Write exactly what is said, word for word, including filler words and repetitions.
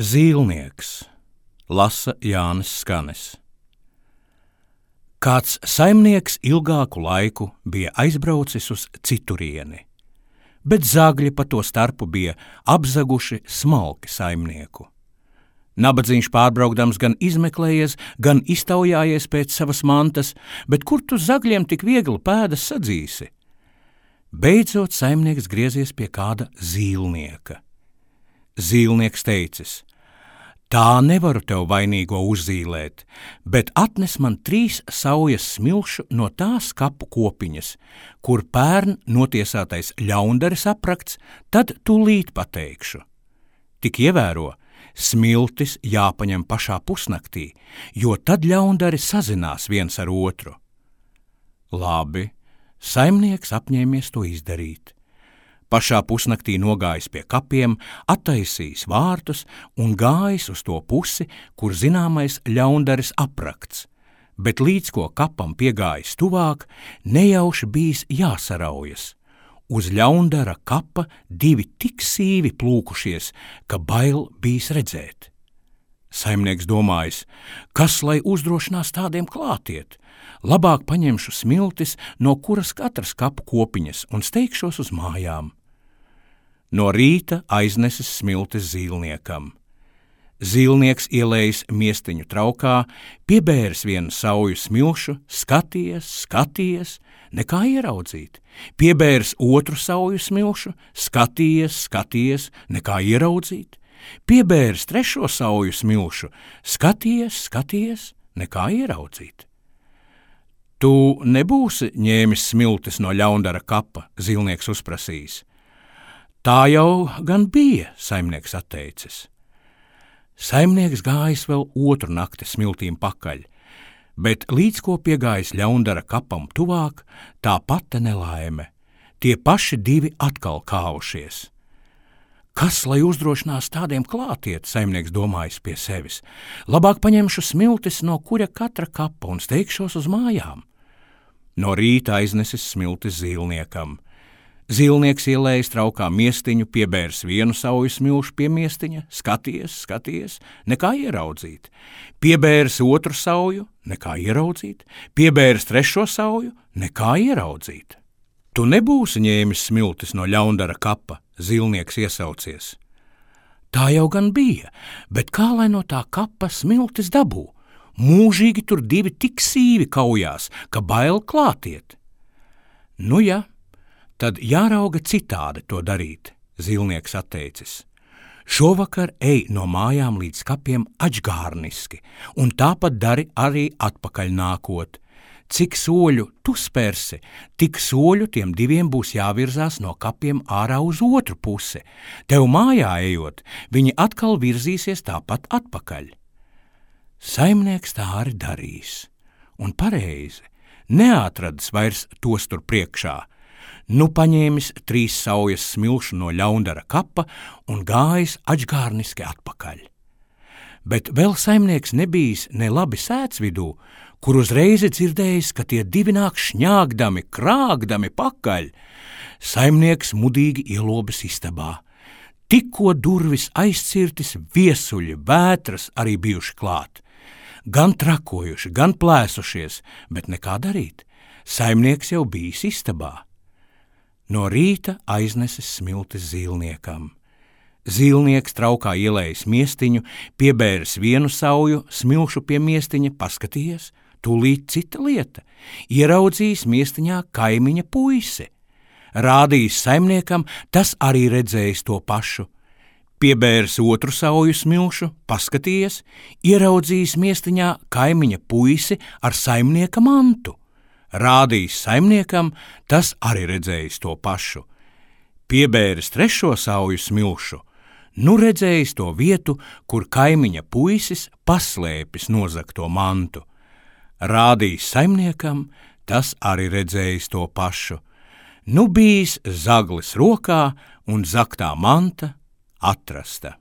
Zīlnieks, lasa Jānis Skanis. Kāds saimnieks ilgāku laiku bija aizbraucis uz citurieni, bet zagļi pa to starpu bija apzaguši smalki saimnieku. Nabadzīņš pārbraukdams gan izmeklējies, gan iztaujājies pēc savas mantas, bet kur tu zagļiem tik viegli pēdas sadzīsi? Beidzot saimnieks griezies pie kāda zīlnieka. Zīlnieks teicis: tā nevaru tev vainīgo uzzīlēt, bet atnes man trīs saujas smilšu no tās kapu kopiņas, kur pērn notiesātais ļaundaris aprakts, tad tūlīt pateikšu. Tik ievēro, smiltis jāpaņem pašā pusnaktī, jo tad ļaundari sazinās viens ar otru. Labi, saimnieks apņēmies to izdarīt. Pašā pusnaktī nogājis pie kapiem, attaisījis vārtus un gājis uz to pusi, kur zināmais ļaundaris aprakts, bet līdz ko kapam piegājis tuvāk, nejauši bijis jāsaraujas. Uz ļaundara kapa divi tik sīvi plūkušies, ka bail bijis redzēt. Saimnieks domājis, kas lai uzdrošinās tādiem klātiet, labāk paņemšu smiltis, no kuras katras kapu kopiņas un steigšos uz mājām. No rīta aiznesis smiltis zīlniekam. Zīlnieks ielējis miestiņu traukā, piebēris vienu sauju smilšu, skaties, skaties, nekā ieraudzīt. Piebēris otru sauju smilšu, skaties, skaties, nekā ieraudzīt. Piebēris trešo sauju smilšu, skaties, skaties, nekā ieraudzīt. Tu nebūsi ņēmis smiltis no ļaundara kapa, zīlnieks uzprasījis. Tā jau gan bija, saimnieks atteicis. Saimnieks gājis vēl otru nakti smiltīm pakaļ, bet līdz ko piegājis ļaundara kapam tuvāk, tā pati nelaime. Tie paši divi atkal kāvušies. Kas lai uzdrošinās tādiem klātiet, saimnieks domājis pie sevis. Labāk paņemšu smiltis no kura katra kapa un steigšos uz mājām. No rīta aiznesis smiltis zīlniekam. Zīlnieks ielējis traukā miestiņu, piebērs vienu sauju smilšu pie miestiņa, skaties, skaties, nekā ieraudzīt. Piebērs otru sauju, nekā ieraudzīt. Piebērs trešo sauju, nekā ieraudzīt. Tu nebūsi ņēmis smiltis no ļaundara kapa, zīlnieks iesaucies. Tā jau gan bija, bet kā lai no tā kapa smiltis dabū? Mūžīgi tur divi tik sīvi kaujās, ka bail klātiet. Nu ja, tad jārauga citādi to darīt, zīlnieks atteicis. Šovakar ej no mājām līdz kapiem ačgārniski, un tāpat dari arī atpakaļ nākot. Cik soļu tu spērsi, tik soļu tiem diviem būs jāvirzās no kapiem ārā uz otru pusi. Tev mājā ejot, viņi atkal virzīsies tāpat atpakaļ. Saimnieks tā arī darīs, un pareizi, neatradis vairs tos tur priekšā. Nu paņēmis trīs saujas smilšu no ļaundara kapa un gājis ačgārniski atpakaļ. Bet vēl saimnieks nebijis ne labi sēts vidū, kur uzreiz dzirdējis, ka tie divi nāk šņāgdami, krāgdami pakaļ. Saimnieks mudīgi ielobis istabā. Tikko durvis aizcirtis, viesuļi, vētras arī bijuši klāt. Gan trakojuši, gan plēsušies, bet nekā darīt. Saimnieks jau bijis istabā. No rīta aiznesis smiltis zīlniekam. Zīlnieks traukā ielējis miestiņu, piebēris vienu sauju smilšu pie miestiņa, paskatījies, tūlīt cita lieta. Ieraudzījis miestiņā kaimiņa puisi. Rādījis saimniekam, tas arī redzējis to pašu. Piebēris otru sauju smilšu, paskatījies, ieraudzījis miestiņā kaimiņa puisi ar saimnieka mantu. Rādījis saimniekam, tas arī redzējis to pašu. Piebēris trešo sauju smilšu, nu redzējis to vietu, kur kaimiņa puisis paslēpis nozagto mantu. Rādījis saimniekam, tas arī redzējis to pašu. Nu bijis zaglis rokā un zagtā manta atrasta.